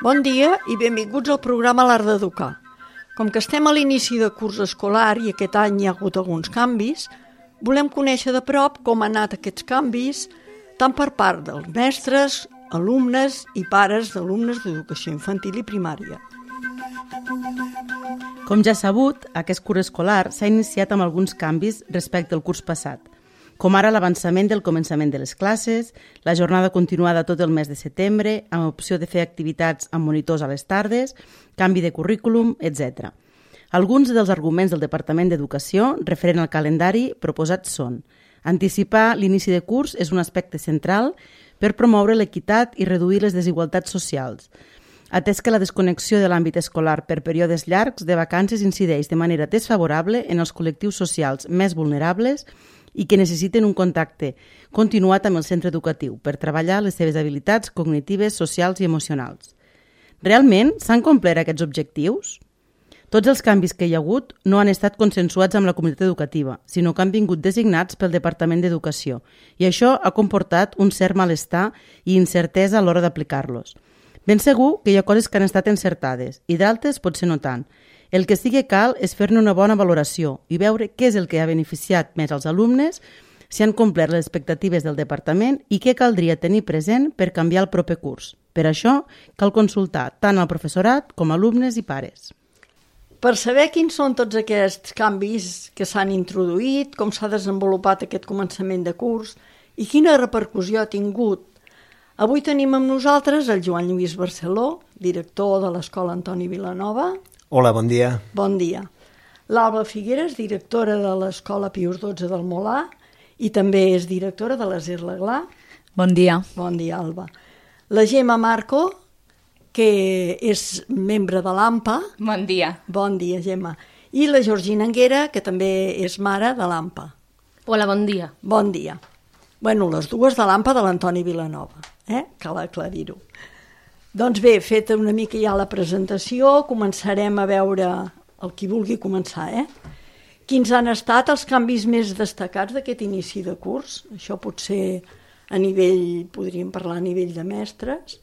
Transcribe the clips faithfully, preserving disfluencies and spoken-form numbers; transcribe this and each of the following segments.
Bon dia i benvinguts al programa L'Art d'Educar. Com que estem a l'inici de curs escolar i aquest any hi ha hagut alguns canvis, volem conèixer de prop com han anat aquests canvis, tant per part dels mestres, alumnes i pares d'alumnes d'educació infantil i primària. Com ja sabut, aquest curs escolar s'ha iniciat amb alguns canvis respecte al curs passat, com ara l'avançament del començament de les classes, la jornada continuada tot el mes de setembre, amb opció de fer activitats amb monitors a les tardes, canvi de currículum, etcètera. Alguns dels arguments del Departament d'Educació referent al calendari proposats són: anticipar l'inici de curs és un aspecte central per promoure l'equitat i reduir les desigualtats socials, atès que la desconnexió de l'àmbit escolar per períodes llargs de vacances incideix de manera desfavorable en els col·lectius socials més vulnerables i que necessiten un contacte continuat amb el centre educatiu per treballar les seves habilitats cognitives, socials i emocionals. Realment s'han complert aquests objectius? Tots els canvis que hi ha hagut no han estat consensuats amb la comunitat educativa, sinó que han vingut designats pel Departament d'Educació, i això ha comportat un cert malestar i incertesa a l'hora d'aplicar-los. Ben segur que hi ha coses que han estat encertades i d'altres potser no tant. El que sí que cal és fer-ne una bona valoració i veure què és el que ha beneficiat més als alumnes, si han complert les expectatives del departament i què caldria tenir present per canviar el proper curs. Per això cal consultar tant al professorat com a alumnes i pares. Per saber quins són tots aquests canvis que s'han introduït, com s'ha desenvolupat aquest començament de curs i quina repercussió ha tingut, avui tenim amb nosaltres el Joan Lluís Barceló, director de l'Escola Antoni Vilanova. Hola, bon dia. Bon dia. L'Alba Figueres, directora de l'Escola Pius dotze del Molar i també és directora de l'Aser l'Aglà. Bon dia. Bon dia, Alba. La Gemma Marco, que és membre de l'A M P A. Bon dia. Bon dia, Gemma. I la Georgina Anguera, que també és mare de l'A M P A. Hola, bon dia. Bon dia. Bueno, les dues de l'A M P A de l'Antoni Vilanova, eh? Cal aclarir-ho. Doncs bé, feta una mica ja la presentació, començarem a veure el qui vulgui començar, eh? Quins han estat els canvis més destacats d'aquest inici de curs? Això potser a nivell, podríem parlar a nivell de mestres.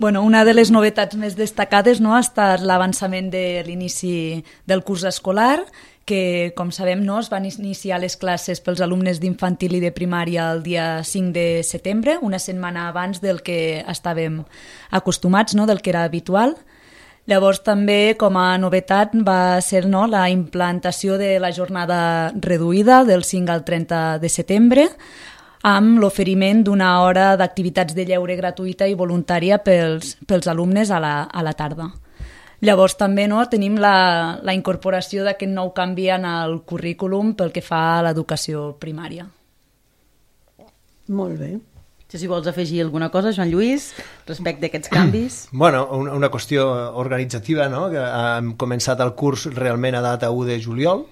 Bueno, una de les novetats més destacades, no, ha estat l'avançament de l'inici del curs escolar, que, com sabem, no, es van iniciar les classes pels alumnes d'infantil i de primària el dia cinc de setembre, una setmana abans del que estàvem acostumats, no, del que era habitual. Llavors també, com a novetat, va ser, no, la implantació de la jornada reduïda del cinc al trenta de setembre, amb l'oferiment d'una hora d'activitats de lleure gratuïta i voluntària pels, pels alumnes a la, a la tarda. Llavors també, no, tenim la, la incorporació d'aquest nou canvi en el currículum pel que fa a l'educació primària. Molt bé. Si vols afegir alguna cosa, Joan Lluís, respecte a aquests canvis. Bueno, una, una qüestió organitzativa, no? Que hem començat el curs realment a data u de juliol.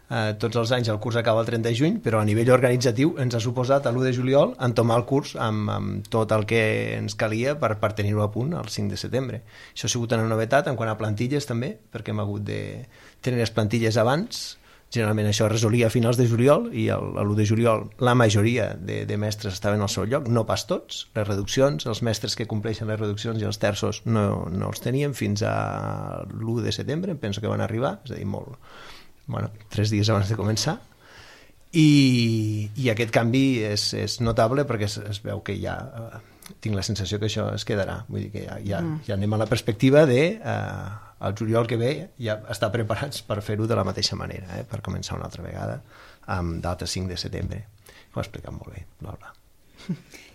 Eh, tots els anys el curs acaba el trenta de juny, però a nivell organitzatiu ens ha suposat l'u de juliol entomar el curs amb, amb tot el que ens calia per, per tenir-ho a punt el cinc de setembre. Això ha sigut una novetat en quant a plantilles també, perquè hem hagut de tenir les plantilles abans. Generalment això es resolia a finals de juliol i l'u de juliol la majoria de, de mestres estaven al seu lloc, no pas tots. Les reduccions, els mestres que compleixen les reduccions i els terços no, no els teníem fins a l'u de setembre, em penso que van arribar, és a dir, molt... Bueno, tres dies abans de començar, i, i aquest canvi és, és notable perquè es, es veu que ja eh, tinc la sensació que això es quedarà, vull dir que ja, ja, mm. ja anem a la perspectiva de eh, el juliol que ve ja estar preparats per fer-ho de la mateixa manera, eh, per començar una altra vegada amb data cinc de setembre. Ho ha explicat molt bé, l'Alba.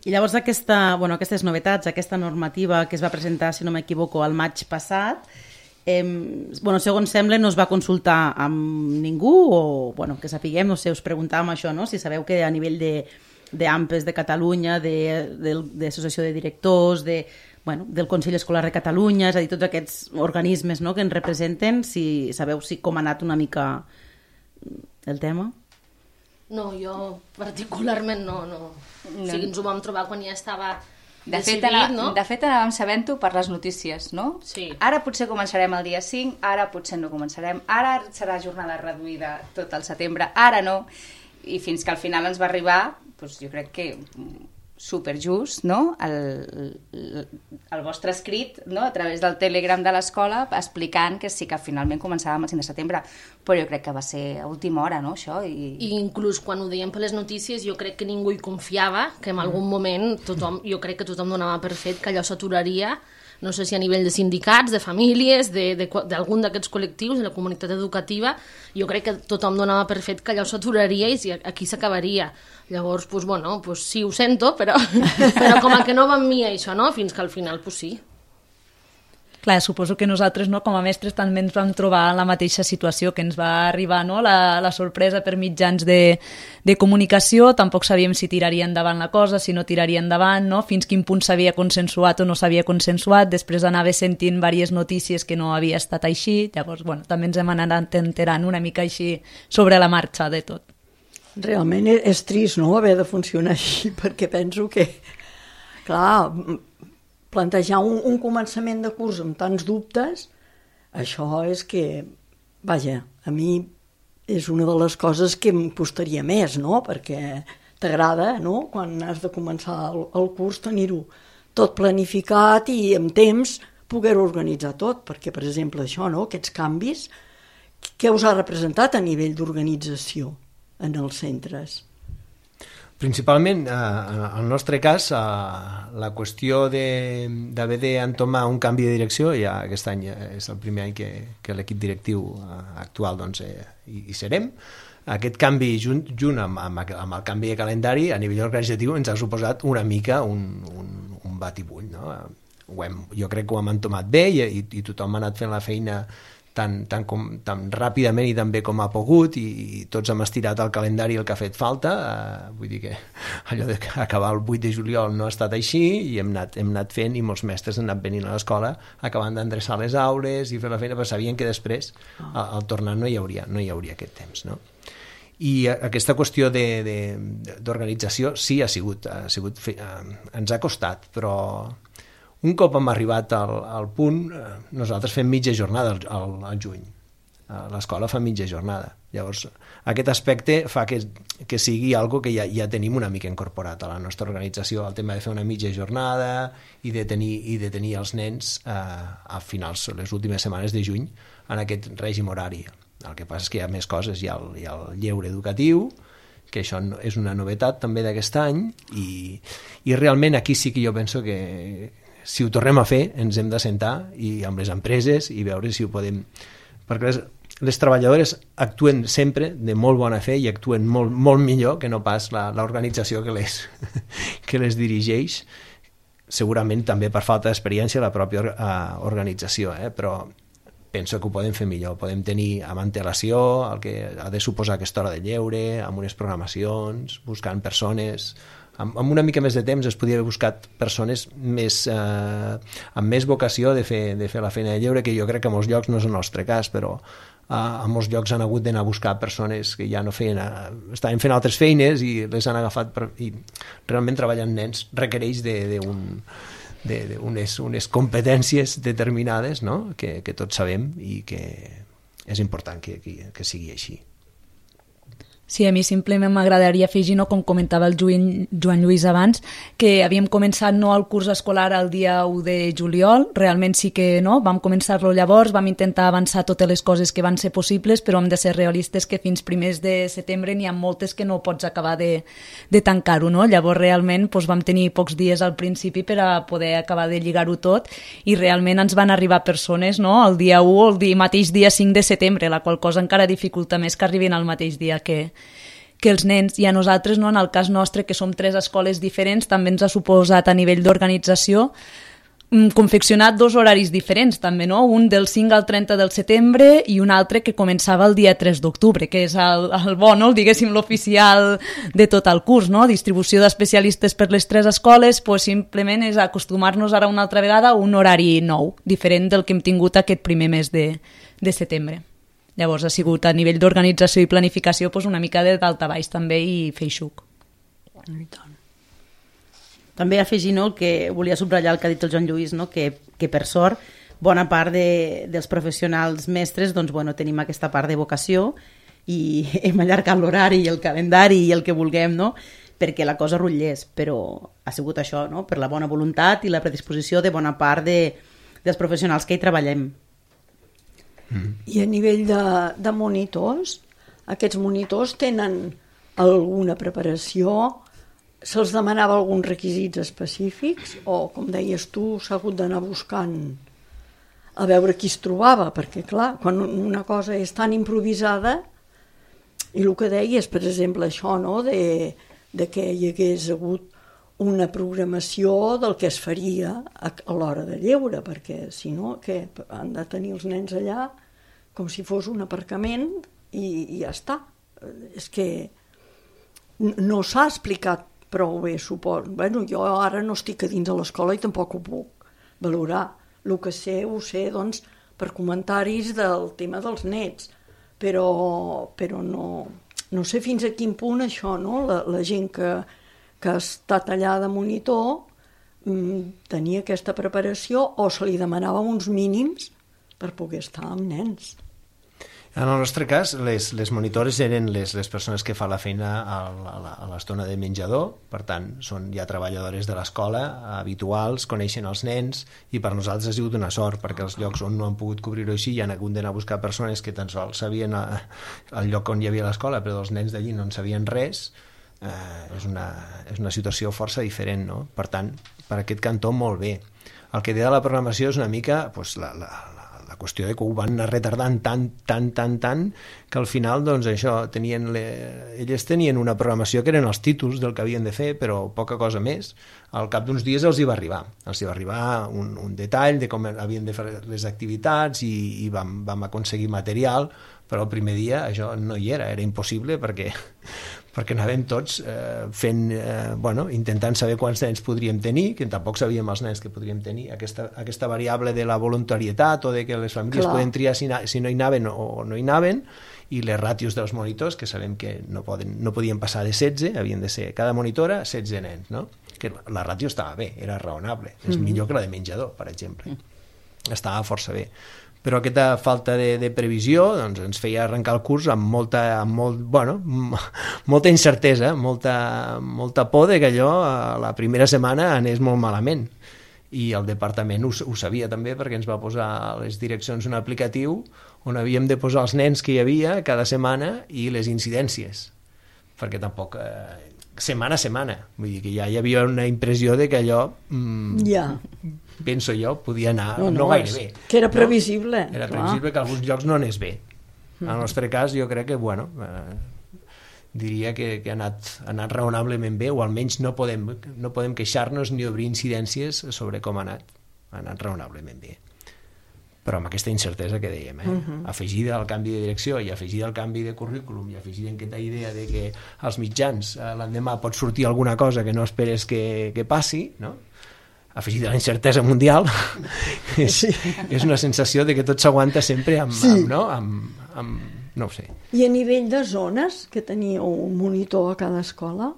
I llavors aquesta, bueno, aquestes novetats, aquesta normativa que es va presentar, si no m'equivoco, al maig passat, Eh, bueno, segons sembla no es va consultar amb ningú o bueno, que sapiguem, no sé, us preguntàvem això, no? Si sabeu que a nivell de, de A M P E S de Catalunya, de, de, de Associació de Directors, de, bueno, del Consell Escolar de Catalunya, és a dir, tots aquests organismes, no?, que ens representen, si sabeu si com ha anat una mica el tema? No, jo particularment no, no. no. O sigui, ens ho vam trobar quan ja estava De fet, decidit, ana, no? de fet anàvem sabent-ho per les notícies, no? Sí. Ara potser començarem el dia cinc, ara potser no començarem, ara serà jornada reduïda tot el setembre, ara no, i fins que al final ens va arribar, doncs jo crec que superjust, no? El, el, el vostre escrit, no? A través del Telegram de l'escola, explicant que sí que finalment començàvem el cinc de setembre, però jo crec que va ser a última hora, no, això? I, I inclús quan ho deien per les notícies jo crec que ningú hi confiava, que en algun moment tothom, jo crec que tothom donava per fet que allò s'aturaria, no sé si a nivell de sindicats, de famílies, d'algun d'aquests col·lectius, de la comunitat educativa, jo crec que tothom donava per fet que allò s'aturaria i aquí s'acabaria. Llavors, pues, bueno, pues, sí, ho sento, però, però com a que no va amb mi això, no? Fins que al final, pues, sí. Clar, suposo que nosaltres, no, com a mestres, també ens vam trobar en la mateixa situació, que ens va arribar, no, la, la sorpresa per mitjans de, de comunicació, tampoc sabíem si tiraria endavant la cosa, si no tiraria endavant, no, fins quin punt s'havia consensuat o no s'havia consensuat, després anava sentint diverses notícies que no havia estat així, llavors, bueno, també ens hem anat enterant una mica així sobre la marxa de tot. Realment és trist, no?, haver de funcionar així, perquè penso que, clar, plantejar un, un començament de curs amb tants dubtes, això és que, vaja, a mi és una de les coses que em costaria més, no?, perquè t'agrada, no?, quan has de començar el, el curs, tenir-ho tot planificat i amb temps poder-ho organitzar tot, perquè, per exemple, això, no?, aquests canvis, què us ha representat a nivell d'organització en els centres? Principalment, eh, en el nostre cas, eh, la qüestió d'haver d'entomar un canvi de direcció, ja aquest any és el primer any que, que l'equip directiu eh, actual doncs, eh, hi, hi serem. Aquest canvi, junt, junt amb, amb, amb el canvi de calendari, a nivell organitzatiu, ens ha suposat una mica un, un, un batibull. No? Ho hem, jo crec que ho hem entomat bé i, i, i tothom ha anat fent la feina tan, tan, com, tan ràpidament i tan bé com ha pogut, i, i tots hem estirat el calendari el que ha fet falta. Uh, vull dir que allò d'acabar el vuit de juliol no ha estat així, i hem anat, hem anat fent, i molts mestres han anat venint a l'escola acabant d'endreçar les aules i fer la feina, però sabien que després al, al tornar no hi hauria, no hi hauria aquest temps, no? I aquesta qüestió d'organització sí ha sigut, ha sigut uh, ens ha costat, però un cop hem arribat al, al punt, nosaltres fem mitja jornada al, al, al juny. L'escola fa mitja jornada. Llavors, aquest aspecte fa que, que sigui algo que ja, ja tenim una mica incorporat a la nostra organització, el tema de fer una mitja jornada i de tenir, i de tenir els nens eh, a finals, les últimes setmanes de juny, en aquest règim horari. El que passa és que hi ha més coses, hi ha el, hi ha el lleure educatiu, que això és una novetat també d'aquest any, i, i realment aquí sí que jo penso que si ho tornem a fer, ens hem de sentar i amb les empreses i veure si ho podem... Perquè les, les treballadores actuen sempre de molt bona fe i actuen molt, molt millor que no pas l'organització que les, que les dirigeix, segurament també per falta d'experiència la pròpia uh, organització, eh? Però penso que ho podem fer millor, podem tenir amb antelació el que ha de suposar aquesta hora de lleure, amb unes programacions, buscant persones... Amb, amb una mica més de temps es podia haver buscat persones més, eh, amb més vocació de fer, de fer la feina de lleure, que jo crec que a molts llocs no és el nostre cas, però eh, a molts llocs han hagut d'anar a buscar persones que ja no feien, eh, estaven fent altres feines i les han agafat per, i realment treballar amb nens requereix de, de un, de, de unes, unes competències determinades, no? que, que tots sabem i que és important que, que, que sigui així. Sí, a mi simplement m'agradaria afegir, no, com comentava el Joan, Joan Lluís abans, que havíem començat no el curs escolar el dia u de juliol, realment sí que no, vam començar-lo llavors, vam intentar avançar totes les coses que van ser possibles, però hem de ser realistes que fins primers de setembre n'hi ha moltes que no pots acabar de, de tancar-ho, no? Llavors realment doncs, vam tenir pocs dies al principi per a poder acabar de lligar-ho tot, i realment ens van arribar persones, no, el dia u o el dia, mateix dia cinc de setembre, la qual cosa encara dificulta més que arribin al mateix dia que que els nens, i a nosaltres, no, en el cas nostre, que som tres escoles diferents, també ens ha suposat a nivell d'organització confeccionat dos horaris diferents, també, no? Un del cinc al trenta del setembre i un altre que començava el dia tres d'octubre, que és el, el bo, no? El, diguéssim, l'oficial de tot el curs, no? Distribució d'especialistes per les tres escoles, pues, simplement és acostumar-nos ara una altra vegada a un horari nou, diferent del que hem tingut aquest primer mes de, de setembre. Llavors ha sigut a nivell d'organització i planificació doncs una mica de dalt a baix també i feixuc. També afegir, no, el que volia subratllar el que ha dit el Joan Lluís, no, que, que per sort bona part de, dels professionals mestres doncs, bueno, tenim aquesta part de vocació i hem allargat l'horari i el calendari i el que vulguem, no? Perquè la cosa rutllés, però ha sigut això, no? Per la bona voluntat i la predisposició de bona part de, dels professionals que hi treballem. Mm. I a nivell de, de monitors, aquests monitors tenen alguna preparació? Se'ls demanava alguns requisits específics o, com deies tu, s'ha hagut d'anar buscant a veure qui es trobava? Perquè, clar, quan una cosa és tan improvisada, i el que deies, per exemple, això, no?, de, de que hi hagués hagut una programació del que es faria a, a l'hora de lleure, perquè, si no, què? Han de tenir els nens allà com si fos un aparcament i, i ja està. És que no s'ha explicat prou bé, suposo. Bueno, jo ara no estic a dins de l'escola i tampoc ho puc valorar. El que sé, ho sé, doncs, per comentaris del tema dels nets, però, però no, no sé fins a quin punt això, no? La, la gent que, que ha estat allà de monitor mmm, tenia aquesta preparació o se li demanava uns mínims per poder estar amb nens. En el nostre cas, les, les monitores eren les, les persones que fan la feina a, a, a l'estona de menjador, per tant, són ja treballadores de l'escola, habituals, coneixen els nens, i per nosaltres ha sigut una sort, perquè els llocs on no han pogut cobrir-ho així hi han hagut d'anar a buscar persones que tan sols sabien a, el lloc on hi havia l'escola, però els nens d'allí no en sabien res. Eh, és, una, és una situació força diferent, no? Per tant, per aquest cantó, molt bé. El que té de la programació és una mica pues, la, la, la qüestió de que ho van anar retardant tant, tant, tant, tant, que al final, doncs, això, tenien le... elles tenien una programació que eren els títols del que havien de fer, però poca cosa més. Al cap d'uns dies els hi va arribar. Els hi va arribar un, un detall de com havien de fer les activitats i, i vam, vam aconseguir material, però el primer dia això no hi era, era impossible perquè, perquè anàvem tots eh, fent, eh, bueno, intentant saber quants nens podríem tenir, que tampoc sabíem els nens que podríem tenir, aquesta, aquesta variable de la voluntarietat o de que les famílies Clar. poden triar si, si no hi anaven o no hi anaven, i les ràtios dels monitors, que sabem que no, poden, no podien passar de setze, havien de ser cada monitora setze nens, no? Que la ràtio estava bé, era raonable, és mm-hmm. millor que la de menjador, per exemple. Mm. Estava força bé. Però aquesta falta de, de previsió doncs, ens feia arrencar el curs amb molta, amb molt, bueno, molta incertesa, molta, molta por de que allò a la primera setmana anés molt malament. I el departament ho, ho sabia també, perquè ens va posar a les direccions un aplicatiu on havíem de posar els nens que hi havia cada setmana i les incidències, perquè tampoc... Eh, setmana a setmana, vull dir que ja hi havia una impressió de que allò mm, ja. penso jo, podia anar no, no, no gaire bé. Que era previsible. No? Era clar. previsible que a alguns llocs no anés bé. En el nostre cas jo crec que, bueno, eh, diria que, que ha, anat, ha anat raonablement bé, o almenys no podem, no podem queixar-nos ni obrir incidències sobre com ha anat. Ha anat raonablement bé. Però amb aquesta incertesa que dèiem, eh? Uh-huh. Afegida al canvi de direcció i afegida al canvi de currículum i afegida en aquesta idea de que als mitjans eh, l'endemà pot sortir alguna cosa que no esperes que, que passi, no? Afegida a la incertesa mundial, és, sí. és una sensació de que tot s'aguanta sempre amb, sí. amb, no? Amb, amb, no ho sé. I a nivell de zones, que teníeu un monitor a cada escola?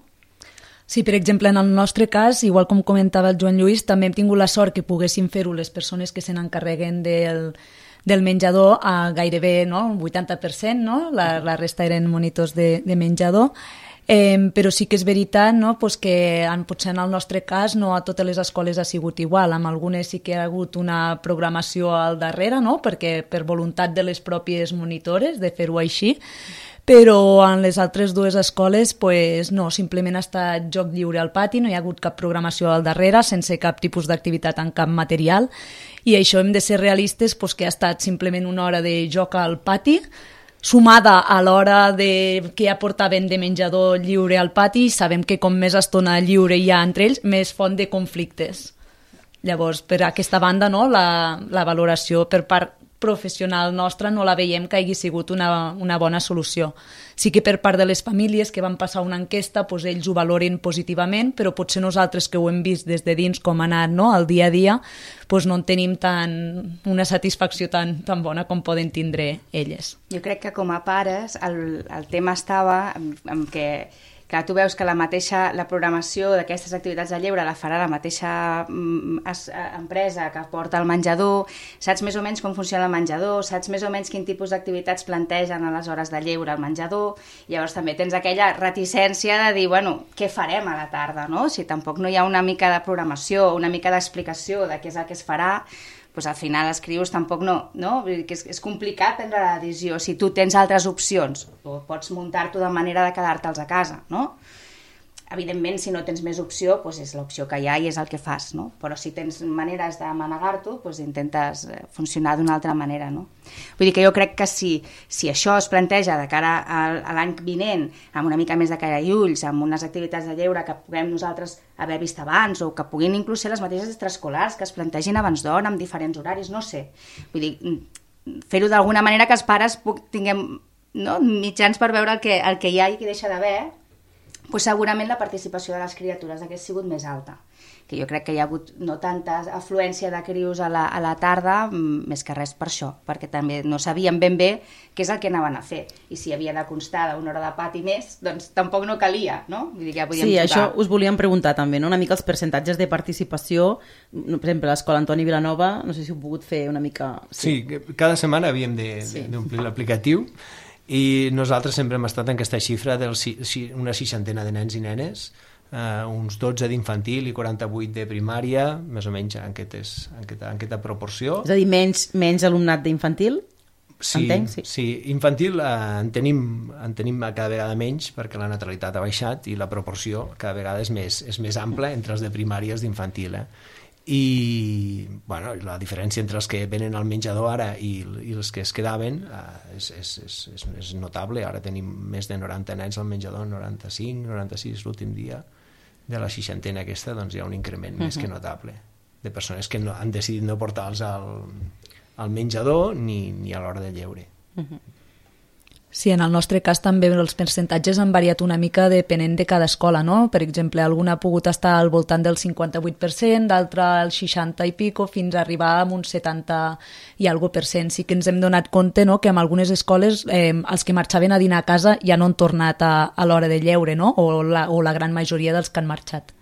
Sí, per exemple, en el nostre cas, igual com comentava el Joan Lluís, també hem tingut la sort que poguéssim fer-ho les persones que se n'encarreguen del, del menjador a gairebé no? un vuitanta per cent, no? la, la resta eren monitors de, de menjador, eh, però sí que és veritat no? pues que en, potser en el nostre cas no a totes les escoles ha sigut igual, amb algunes sí que ha hagut una programació al darrere, no? perquè per voluntat de les pròpies monitores de fer-ho així, però en les altres dues escoles pues, no, simplement ha estat joc lliure al pati, no hi ha hagut cap programació al darrere, sense cap tipus d'activitat en cap material, i això hem de ser realistes pues, que ha estat simplement una hora de joc al pati, sumada a l'hora de que ja portaven de menjador lliure al pati, i sabem que com més estona lliure hi ha entre ells, més font de conflictes. Llavors, per aquesta banda, no, la, la valoració per part professional nostra no la veiem que hagi sigut una, una bona solució. Sí que per part de les famílies que van passar una enquesta, doncs ells ho valoren positivament, però potser nosaltres que ho hem vist des de dins com ha anat no? el dia a dia, doncs no en tenim tan, una satisfacció tan, tan bona com poden tindre elles. Jo crec que com a pares el, el tema estava en, en què Clar, tu veus que la mateixa la programació d'aquestes activitats de lleure la farà la mateixa mm, es, empresa que porta el menjador, saps més o menys com funciona el menjador, saps més o menys quin tipus d'activitats plantegen a les hores de lleure al menjador, i llavors també tens aquella reticència de dir, bueno, què farem a la tarda, no? Si tampoc no hi ha una mica de programació, una mica d'explicació de què és el que es farà, doncs al final escrius tampoc no, no? Vull dir que és, és complicat prendre la decisió. Si tu tens altres opcions, o pots muntar-t'ho de manera de quedar-te'ls a casa, no? Evidentment, si no tens més opció, doncs és l'opció que hi ha i és el que fas, no? Però si tens maneres de manegar-t'ho, doncs intentes funcionar d'una altra manera, no? Vull dir que jo crec que si, si això es planteja de cara a, a l'any vinent, amb una mica més de cara i ulls, amb unes activitats de lleure que puguem nosaltres haver vist abans, o que puguin inclús ser les mateixes extraescolars, que es plantegin abans d'hora, amb diferents horaris, no sé. Vull dir, fer-ho d'alguna manera que els pares tinguem, no, mitjans per veure el que, el que hi ha i que deixa d'haver, pues segurament la participació de les criatures hagués sigut més alta, que jo crec que hi ha hagut no tanta afluència de crios a la, a la tarda, més que res per això, perquè també no sabíem ben bé què és el que anaven a fer, i si havia de constar d'una hora de pati més, doncs tampoc no calia, no? Vull dir que ja podíem sí, jugar. Això us volíem preguntar també, no? Una mica els percentatges de participació, per exemple, a l'Escola Antoni Vilanova, no sé si heu pogut fer una mica... Sí, sí, cada setmana havíem d'omplir sí. l'aplicatiu, i nosaltres sempre hem estat en aquesta xifra de una seixantena de nens i nenes, eh, uns dotze d'infantil i quaranta-vuit de primària, més o menys en aquesta, en aquesta, en aquesta proporció. És a dir, menys, menys alumnat d'infantil? Sí, Entenc, sí. sí, infantil eh, en, tenim, en tenim cada vegada menys perquè la natalitat ha baixat i la proporció cada vegada és més, és més ampla entre els de primària i els d'infantil, eh? I bueno, la diferència entre els que venen al menjador ara i, i els que es quedaven eh, és, és, és, és, és notable. Ara tenim més de noranta nens al menjador, noranta-cinc, noranta-sis l'últim dia de la seixantena aquesta, doncs hi ha un increment uh-huh. més que notable de persones que no, han decidit no portar-los al, al menjador ni, ni a l'hora de lleure. Uh-huh. Sí, en el nostre cas també els percentatges han variat una mica depenent de cada escola, no? Per exemple, alguna ha pogut estar al voltant del cinquanta-vuit per cent, d'altra al seixanta i pico, fins a arribar a un setanta i algo per cent. Sí que ens hem donat compte, no?, que en algunes escoles eh, els que marxaven a dinar a casa ja no han tornat a, a l'hora de lleure, no? O la, o la gran majoria dels que han marxat.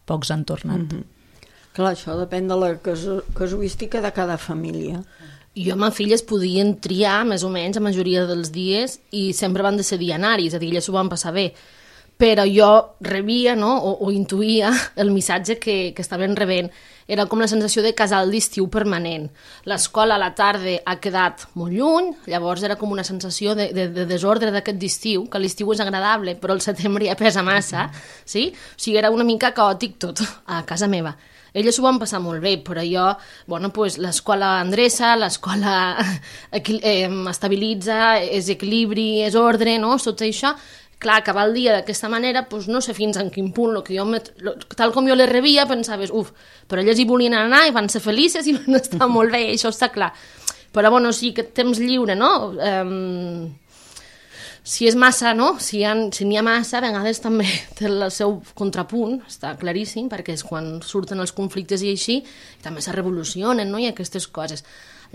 Pocs han tornat. Mm-hmm. Clar, això depèn de la casu casuística de cada família. Jo amb filles podien triar més o menys la majoria dels dies i sempre van decidir anar-hi, és a dir, elles s'ho van passar bé. Però jo rebia, no?, o, o intuïa el missatge que, que estaven rebent. Era com la sensació de casal d'estiu permanent. L'escola a la tarda ha quedat molt lluny, llavors era com una sensació de, de, de desordre d'aquest estiu, que l'estiu és agradable, però el setembre ja pesa massa, sí? O sigui, era una mica caòtic tot a casa meva. Elles s'ho van passar molt bé, però jo, bueno, pues, l'escola endreça, l'escola eh, estabilitza, és equilibri, és ordre, no?, tot això. Clar, acabar el dia d'aquesta manera, pues, no sé fins en quin punt, lo que jo me, lo, tal com jo les rebia, pensaves, uf, però elles hi volien anar i van ser felices i van estar molt bé, això està clar. Però, bueno, sí, aquest temps lliure, no?, um, si és massa, no?, si n'hi ha, si ha massa, a vegades també té el seu contrapunt, està claríssim, perquè és quan surten els conflictes i així, i també se revolucionen, no?, i aquestes coses.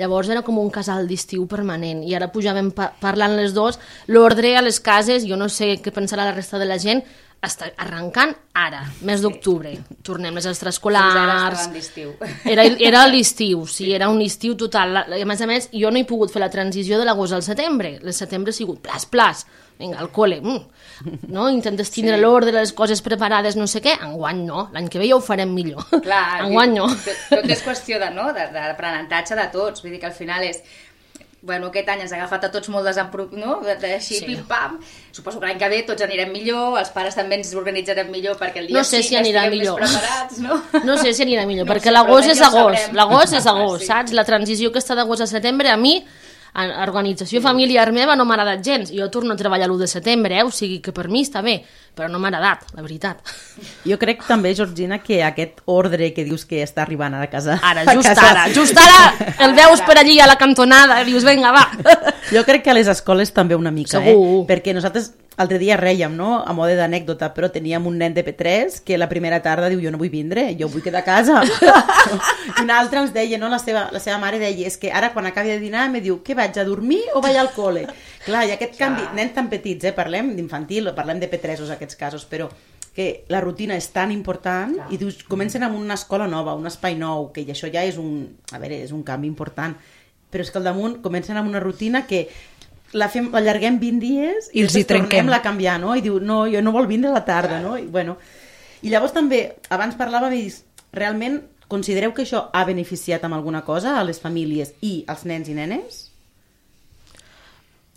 Llavors era com un casal d'estiu permanent, i ara pujàvem pa parlant les dos, l'ordre a les cases, jo no sé què pensarà la resta de la gent, està arrencant ara, mes d'octubre. Tornem les extraescolars... Fins ara estaven d'estiu. Era, era l'estiu, sí, era un estiu total. I a més a més, jo no he pogut fer la transició de l'agost al setembre. El setembre ha sigut plas, plas, vinga, al col·le, mm. no? Intentes tindre sí. l'ordre, les coses preparades, no sé què. Enguany no, l'any que ve ja ho farem millor. Clar, enguany no. Tot és qüestió de, no? de, de l'aprenentatge de tots, vull dir que al final és... Bueno, aquest any ens ha agafat a tots molt desemprop... no? Així, sí. pim-pam. Suposo que l'any que ve tots anirem millor, els pares també ens organitzarem millor perquè el dia no sé sí si anirà estiguem millor. més preparats, no? No sé si anirà millor, no perquè sé, l'agost és ja agost. L'agost és agost, sí. saps? La transició que està d'agost a setembre, a mi, a organització familiar meva, no m'ha agradat gens. Jo torno a treballar l'u de setembre, eh? O sigui que per mi està bé, però no m'ha agradat, la veritat. Jo crec també, Georgina, que aquest ordre que dius que està arribant a casa... Ara, just casa... ara, just ara, el veus per allí a la cantonada, dius, vinga, va. Jo crec que a les escoles també una mica, Segur. eh? Perquè nosaltres l'altre dia rèiem, no?, a mode d'anècdota, però teníem un nen de P tres que la primera tarda diu, jo no vull vindre, jo vull quedar a casa. I un altre ens deia, no?, la seva, la seva mare deia, és que ara quan acabi de dinar me diu, què vaig a dormir o vaig al col·le? Clar, i aquest canvi, nens tan petits, eh? Parlem d'infantil, parlem de P tres en aquests casos, però que la rutina és tan important i dius, comencen amb una escola nova, un espai nou, que això ja és un, a veure, és un canvi important, però és que al damunt comencen amb una rutina que la fem, allarguem vint dies i, I els hi trenquem. tornem-la a canviar, no? I diu, no, jo no vol vindre a la tarda, no? I, bueno, i llavors també, abans parlàvem i realment considereu que això ha beneficiat amb alguna cosa a les famílies i als nens i nenes?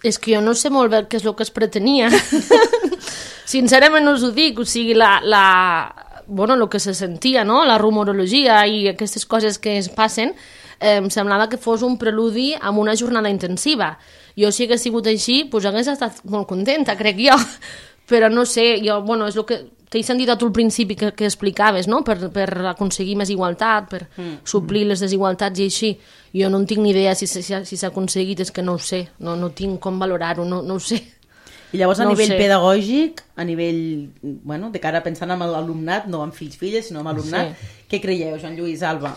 És que jo no sé molt bé què és el que es pretenia. Sincerament us ho dic, o sigui, la, la, bueno, el que se sentia, no? La rumorologia i aquestes coses que es passen, eh, em semblava que fos un preludi amb una jornada intensiva. Jo, si hagués sigut així, doncs hagués estat molt contenta, crec jo. Però no sé, jo, bueno, és el que t'he sentit a tu al principi que, que explicaves, no? Per, per aconseguir més igualtat, per mm. suplir les desigualtats i així. Jo no en tinc ni idea si s'ha si s'ha aconseguit, és que no ho sé, no, no tinc com valorar-ho, no, no ho sé. I llavors a no nivell sé. pedagògic, a nivell, bueno, de cara pensant en l'alumnat, no amb fills-filles, sinó amb alumnat, sí. Què creieu, Joan Lluís, Alba?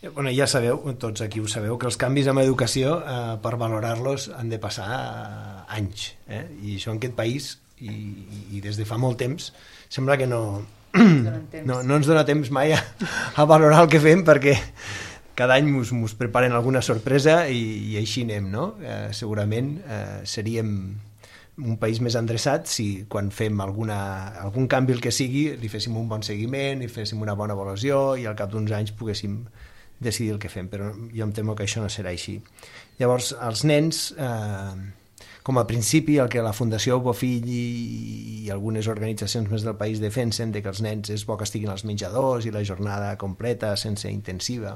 Bueno, ja sabeu, tots aquí ho sabeu, que els canvis en educació, eh, per valorar-los, han de passar eh, anys. Eh? I això en aquest país, i, i des de fa molt temps, sembla que no, no, no ens dona temps mai a, a valorar el que fem, perquè cada any mos, mos preparen alguna sorpresa i, i així anem, no? Eh, segurament eh, seríem un país més endreçat si quan fem alguna, algun canvi el que sigui li féssim un bon seguiment, li féssim una bona avaluació i al cap d'uns anys poguéssim decidir el que fem, però jo em temo que això no serà així. Llavors, els nens, eh, com a principi, el que la Fundació Bofill i, i algunes organitzacions més del país defensen, de que els nens és bo que estiguin als menjadors i la jornada completa, sense intensiva,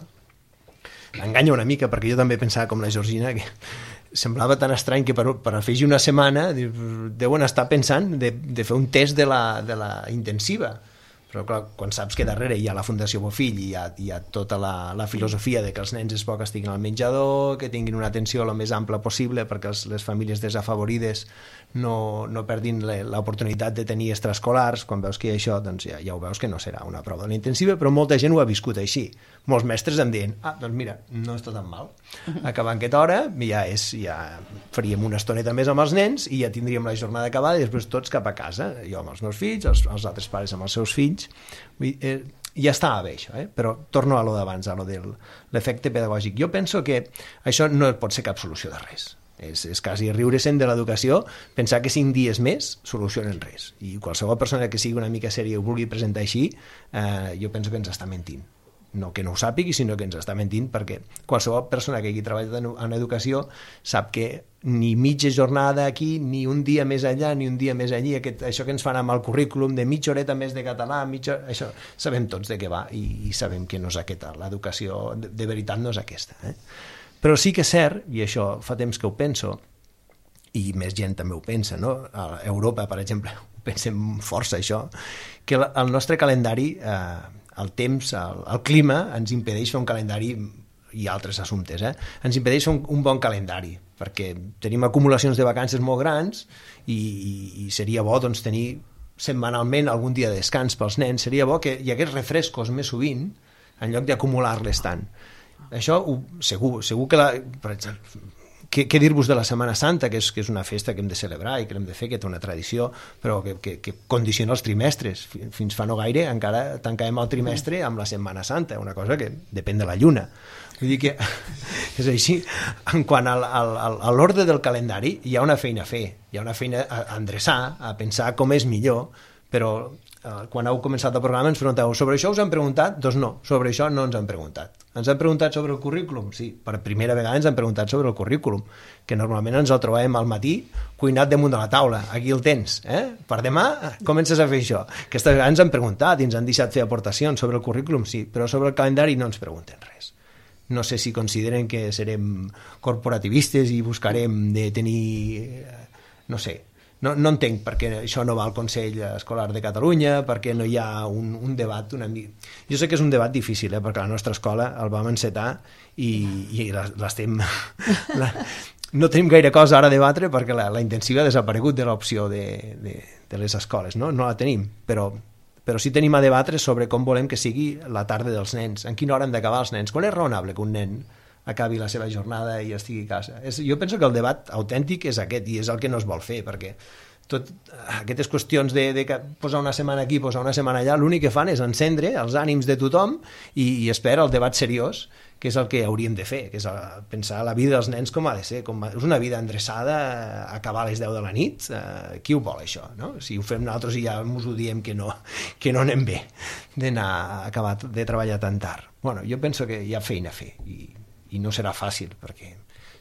enganya una mica, perquè jo també pensava com la Georgina, que semblava tan estrany que per, per afegir una setmana deuen estar pensant de, de fer un test de la, de la intensiva. Però clar, quan saps que darrere hi ha la Fundació Bofill i hi ha, hi ha tota la, la filosofia de que els nens és bo que estiguin al menjador, que tinguin una atenció el més ampla possible perquè els, les famílies desafavorides no, no perdin l'oportunitat de tenir extraescolars, quan veus que hi ha això, doncs ja, ja ho veus que no serà una prova de la intensiva, però molta gent ho ha viscut així. Molts mestres em diuen, ah, doncs mira, no està tan mal. Acabant aquesta hora, ja, és, ja faríem una estoneta més amb els nens i ja tindríem la jornada acabada i després tots cap a casa, jo amb els meus fills, els, els altres pares amb els seus fills. Vull dir, eh, ja estava bé això, eh? Però torno a lo d'abans, a lo de l'efecte pedagògic. Jo penso que això no pot ser cap solució de res. És, és quasi riure-se'n de l'educació, pensar que cinc dies més solucionen res. I qualsevol persona que sigui una mica sèria i ho vulgui presentar així, eh, jo penso que ens està mentint. No que no ho sàpigui, sinó que ens està mentint, perquè qualsevol persona que hagi treballat en educació sap que ni mitja jornada aquí, ni un dia més allà, ni un dia més allí, aquest, això que ens fan amb el currículum de mitja horeta més de català, mitja, això sabem tots de què va i, i sabem que no és aquesta, l'educació de, de veritat no és aquesta. Eh? Però sí que és cert, i això fa temps que ho penso, i més gent també ho pensa, no? A Europa, per exemple, ho pensem força això, que el nostre calendari, eh, el temps, el, el clima, ens impedeix fer un calendari i altres assumptes, eh? Ens impedeix fer un, un bon calendari, perquè tenim acumulacions de vacances molt grans i, i, i seria bo doncs, tenir setmanalment algun dia de descans pels nens, seria bo que hi hagués refrescos més sovint en lloc d'acumular-les tant. Això ho, segur, segur que la, per exemple, què, què dir-vos de la Setmana Santa, que és, que és una festa que hem de celebrar i que hem de fer, que té una tradició, però que, que, que condiciona els trimestres. Fins fa no gaire encara tancàvem el trimestre amb la Setmana Santa, una cosa que depèn de la lluna. Vull dir que és així. En quant a, a, a l'ordre del calendari, hi ha una feina a fer, hi ha una feina a endreçar, a pensar com és millor, però quan heu començat el programa ens pregunteu sobre això us han preguntat? Doncs no, sobre això no ens han preguntat. Ens han preguntat sobre el currículum? Sí, per primera vegada ens han preguntat sobre el currículum, que normalment ens el trobàvem al matí cuinat damunt de la taula. Aquí el tens, eh? Per demà comences a fer això. Aquesta vegada ens han preguntat i ens han deixat fer aportacions sobre el currículum, sí, però sobre el calendari no ens pregunten res. No sé si consideren que serem corporativistes i buscarem de tenir, no sé, No, no entenc perquè això no va al Consell Escolar de Catalunya, perquè no hi ha un, un debat una mica... Jo sé que és un debat difícil, eh, perquè la nostra escola el vam encetar i, i l'estem... La, no tenim gaire cosa ara a debatre perquè la, la intensiva ha desaparegut de l'opció de, de, de les escoles, no? No la tenim, però, però sí tenim a debatre sobre com volem que sigui la tarda dels nens, en quina hora han d'acabar els nens. Quan és raonable que un nen acabi la seva jornada i estigui a casa. És, jo penso que el debat autèntic és aquest, i és el que no es vol fer, perquè tot, aquestes qüestions de, de posar una setmana aquí, posar una setmana allà, l'únic que fan és encendre els ànims de tothom i, i espera el debat seriós, que és el que hauríem de fer, que és pensar la vida dels nens com ha de ser, com és una vida endreçada, acabar a les deu de la nit, eh, qui ho vol això, no? Si ho fem nosaltres i ja ens ho diem que no, que no anem bé d'anar a acabar de treballar tan tard. Bueno, jo penso que hi ha feina a fer i, i no serà fàcil, perquè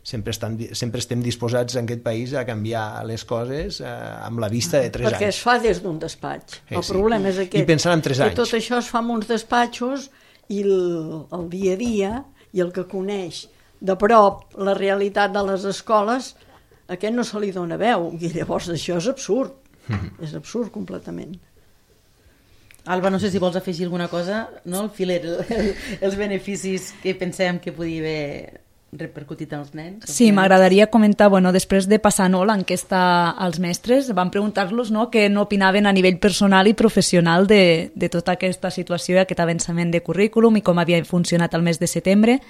sempre, estan, sempre estem disposats en aquest país a canviar les coses eh, amb la vista de tres perquè anys. Perquè es fa des d'un despatx. Eh, el sí. problema és aquest. I pensant en tres anys. Que tot això es fa en uns despatxos i el, el dia a dia i el que coneix de prop la realitat de les escoles, a aquest no se li dona veu. I llavors això és absurd. Mm. És absurd completament. Alba, no sé si vols afegir alguna cosa, no? El filer, el, els beneficis que pensem que podia haver repercutit als nens. Sí, m'agradaria comentar, bueno, després de passar no, l'enquesta als mestres, vam preguntar-los no, què no opinaven a nivell personal i professional de, de tota aquesta situació i aquest avançament de currículum i com havia funcionat el mes de setembre.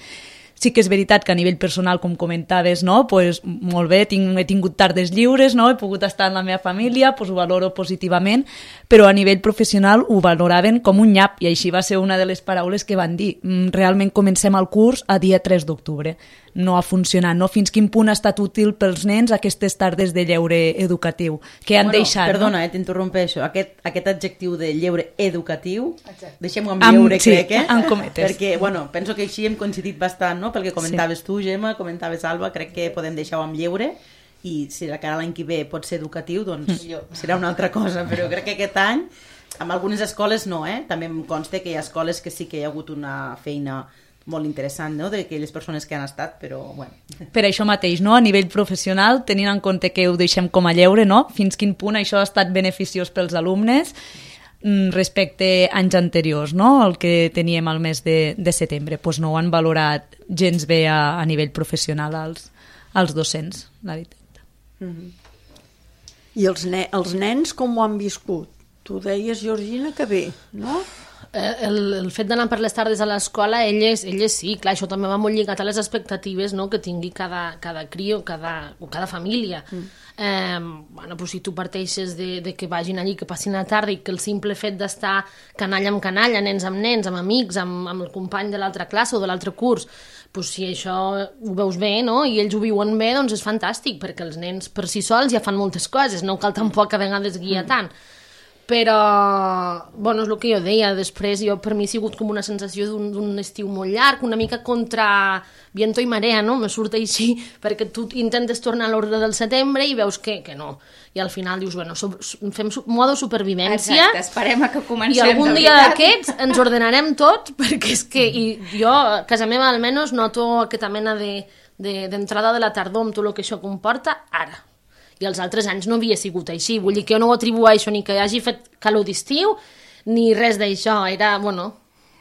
Sí que és veritat que a nivell personal, com comentaves, no, pues, molt bé, tinc, he tingut tardes lliures, no, he pogut estar amb la meva família, pues, ho valoro positivament, però a nivell professional ho valoraven com un nyap, i així va ser una de les paraules que van dir. Realment comencem el curs a dia tres d'octubre. No ha funcionat, no? Fins quin punt ha estat útil pels nens aquestes tardes de lleure educatiu, que han bueno, deixat... Perdona, no? eh, t'interrompeixo. Aquest, aquest adjectiu de lleure educatiu, deixem-ho amb, amb lleure, sí, crec, eh? amb cometes. Perquè, bueno, penso que així hem coincidit bastant, no? Pel que comentaves sí. tu, Gemma, comentaves Alba, crec que podem deixar-ho amb lleure, i si la cara l'any que ve pot ser educatiu, doncs serà una altra cosa, però crec que aquest any, amb algunes escoles no, eh? També em consta que hi ha escoles que sí que hi ha hagut una feina molt interessant, no?, d'aquelles persones que han estat, però, bueno. Per això mateix, no?, a nivell professional, tenint en compte que ho deixem com a lleure, no?, fins quin punt això ha estat beneficiós pels alumnes respecte a anys anteriors, no?, el que teníem al mes de, de setembre, doncs no ho han valorat gens bé a, a nivell professional als, als docents, la veritat. Mm-hmm. I els, ne els nens com ho han viscut? Tu deies, Georgina, que bé, no? El, el fet d'anar per les tardes a l'escola, elles, elles sí, clar, això també va molt lligat a les expectatives, no?, que tingui cada, cada crio, cada, o cada família. Mm. Eh, bueno, pues si tu parteixes de, de que vagin allí, que passin la tarda i que el simple fet d'estar canalla amb canalla, nens amb nens, amb amics, amb, amb el company de l'altra classe o de l'altre curs, pues si això ho veus bé, no?, i ells ho viuen bé, doncs és fantàstic, perquè els nens per si sols ja fan moltes coses, no cal tampoc a vegades guiar mm. tant. Però, bueno, és el que jo deia, després jo, per mi ha sigut com una sensació d'un estiu molt llarg, una mica contra viento i marea, no? Me surt així, perquè tu intentes tornar a l'ordre del setembre i veus que, que no. I al final dius, bueno, so, fem modo supervivència. Exacte, esperem a que comencem. I algun dia d'aquests ens ordenarem tot, perquè és que i jo, a casa meva almenys, noto aquesta mena d'entrada de, de, de la tardor amb tot el que això comporta ara. I els altres anys no havia sigut així. Vull dir que jo no ho atribueixo ni que hagi fet calor d'estiu, ni res d'això. Era, bueno...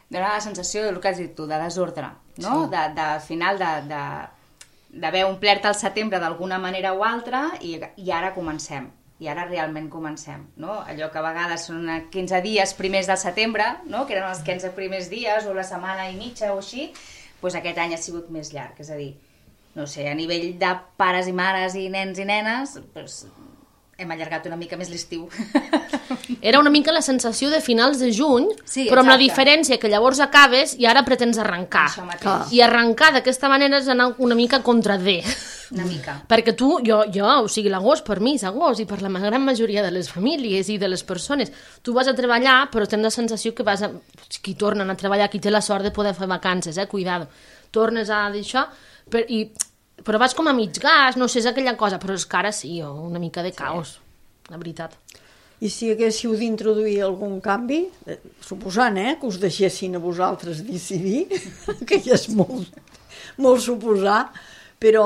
Dóna la sensació del que has dit tu, de desordre, no? Sí. De, de, al final d'haver omplert el setembre d'alguna manera o altra i, i ara comencem. I ara realment comencem, no? Allò que a vegades són quinze dies primers del setembre, no?, que eren els quinze primers dies o la setmana i mitja o així, doncs aquest any ha sigut més llarg, és a dir, no sé, a nivell de pares i mares i nens i nenes, doncs hem allargat una mica més l'estiu. Era una mica la sensació de finals de juny, sí, però amb la diferència que llavors acabes i ara pretens arrencar. I arrencar d'aquesta manera és anar una mica contra D. Una mica. Perquè tu, jo, jo, o sigui, l'agost per mi és agost i per la gran majoria de les famílies i de les persones. Tu vas a treballar, però tens la sensació que vas a... Qui tornen a treballar, qui té la sort de poder fer vacances, eh, cuidado. Tornes a d'això... Però, i, però vas com a mig gas, no sé, és aquella cosa, però és que ara sí, una mica de caos, sí. La veritat. I si haguéssiu d'introduir algun canvi, eh, suposant eh, que us deixessin a vosaltres decidir, que ja és molt, molt suposar, però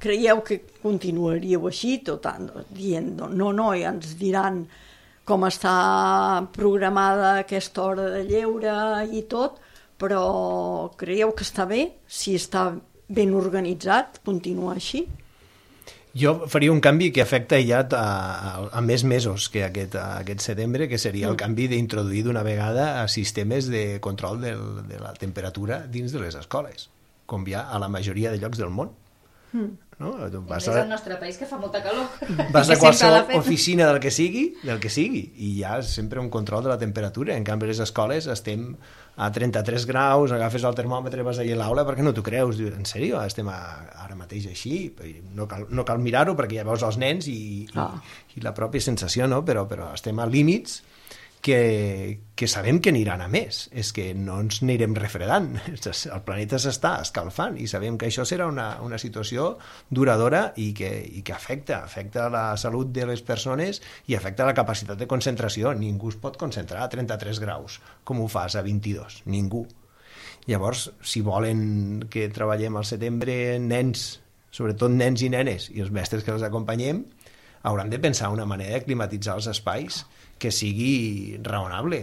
creieu que continuaríeu així, tot dient, no, no, ja ens diran com està programada aquesta hora de lleure i tot, però creieu que està bé? Si està ben organitzat, continuar així? Jo faria un canvi que afecta ja a, a, a més mesos que aquest, aquest setembre, que seria el canvi d'introduir d'una vegada a sistemes de control del, de la temperatura dins de les escoles. com hi ha a la majoria de llocs del món. Mm. No? Vas a... És el nostre país que fa molta calor. Vas a qualsevol oficina del que sigui, del que sigui, i hi ha sempre un control de la temperatura. En canvi, a les escoles estem a trenta-tres graus, agafes el termòmetre, vas allà a l'aula, perquè no t'ho creus. Dius, en sèrio? Estem a, ara mateix així? No cal, no cal mirar-ho, perquè ja veus els nens i, oh. i, i la pròpia sensació, no? Però, però estem a límits que, que sabem que aniran a més, és que no ens anirem refredant, el planeta s'està escalfant i sabem que això serà una, una situació duradora i que, i que afecta, afecta la salut de les persones i afecta la capacitat de concentració. Ningú es pot concentrar a trenta-tres graus, com ho fas a vint-i-dos, ningú. Llavors, si volen que treballem al setembre nens, sobretot nens i nenes, i els mestres que els acompanyem, hauran de pensar una manera de climatitzar els espais que sigui raonable.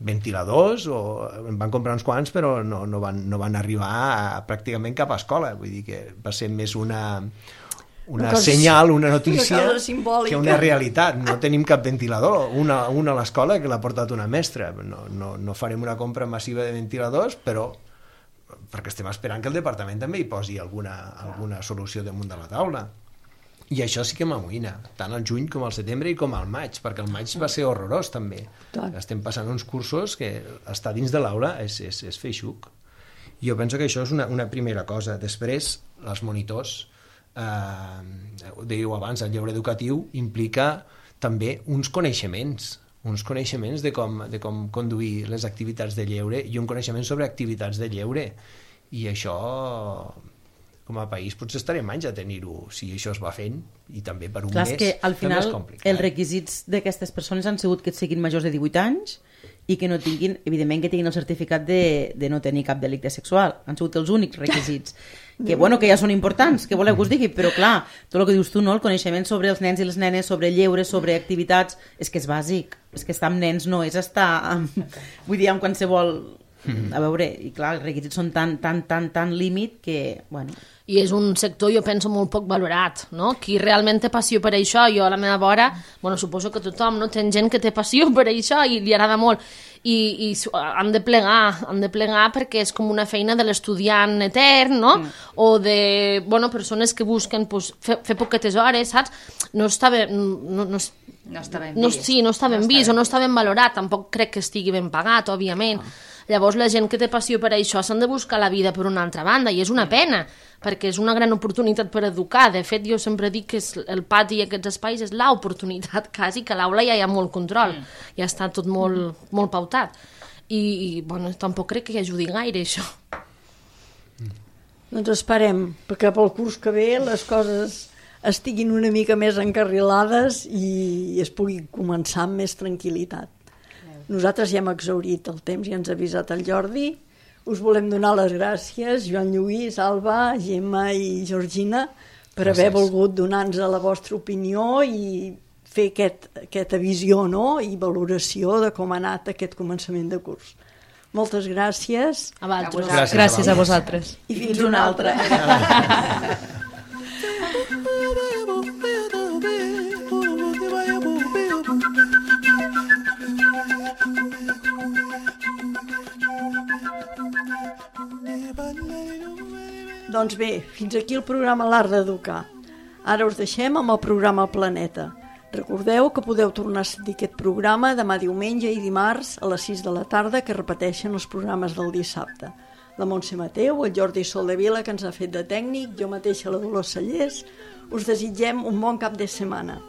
Ventiladors, o en van comprar uns quants, però no, no, van, no van arribar a, pràcticament cap a escola. Vull dir que va ser més una, una cosa, senyal, una notícia, una que una realitat. No tenim cap ventilador. Una, una a l'escola que l'ha portat una mestra. No, no, no farem una compra massiva de ventiladors, però perquè estem esperant que el departament també hi posi alguna, alguna solució damunt de la taula. I això sí que m'amoïna, tant al juny com al setembre i com al maig, perquè el maig va ser horrorós també. Estem passant uns cursos que estar dins de l'aula és, és, és fer xuc. Jo penso que això és una, una primera cosa. Després, els monitors, eh, ho dèieu abans, el lleure educatiu implica també uns coneixements, uns coneixements de com, de com conduir les activitats de lleure i un coneixement sobre activitats de lleure. I això, com a país, potser estarem anys a tenir-ho si això es va fent, i també per un Clar, mes que al final els requisits d'aquestes persones han sigut que siguin majors de divuit anys i que no tinguin, evidentment que tinguin el certificat de, de no tenir cap delicte sexual. Han sigut els únics requisits. Que bueno, que ja són importants, que voleu que us digui, però clar, tot el que dius tu, no? El coneixement sobre els nens i les nenes, sobre lleure, sobre activitats, és que és bàsic. És que estar amb nens no és estar amb, vull dir, amb qualsevol... A veure, i clar, els requisits són tan, tan, tan, tan límit que, bueno... I és un sector, jo penso, molt poc valorat, no? Qui realment té passió per això, jo a la meva vora, bueno, suposo que tothom, no? Té gent que té passió per això i li agrada molt, i, i han de plegar, han de plegar perquè és com una feina de l'estudiant etern, no? Mm. O de, bueno, persones que busquen pues, fer, fer poquetes hores, saps? No està ben... No, no, no està ben no, vist. Sí, no està ben no vist està o no està ben valorat, tampoc crec que estigui ben pagat, òbviament. Oh. Llavors la gent que té passió per això s'han de buscar la vida per una altra banda, i és una pena, perquè és una gran oportunitat per educar. De fet, jo sempre dic que el pati i aquests espais és l'oportunitat quasi, que a l'aula ja hi ha molt control, mm. ja està tot molt, mm. molt pautat. I, i bueno, tampoc crec que hi ajudi gaire això. Mm. Doncs esperem, perquè pel curs que ve les coses estiguin una mica més encarrilades i es pugui començar amb més tranquil·litat. Nosaltres ja hem exhaurit el temps i ens ha avisat el Jordi. Us volem donar les gràcies, Joan Lluís, Alba, Gemma i Georgina, per gràcies. Haver volgut donar-nos la vostra opinió i fer aquest, aquesta visió, no? I valoració de com ha anat aquest començament de curs. Moltes gràcies. A vosaltres. Gràcies, gràcies a vosaltres. I fins, fins una altra. Doncs bé, fins aquí el programa L'Art d'Educar. Ara us deixem amb el programa Planeta. Recordeu que podeu tornar a sentir aquest programa demà diumenge i dimarts a les sis de la tarda, que repeteixen els programes del dissabte. La Montse Mateu, el Jordi Soldevila, que ens ha fet de tècnic, jo mateixa la Dolors Cellers, us desitgem un bon cap de setmana.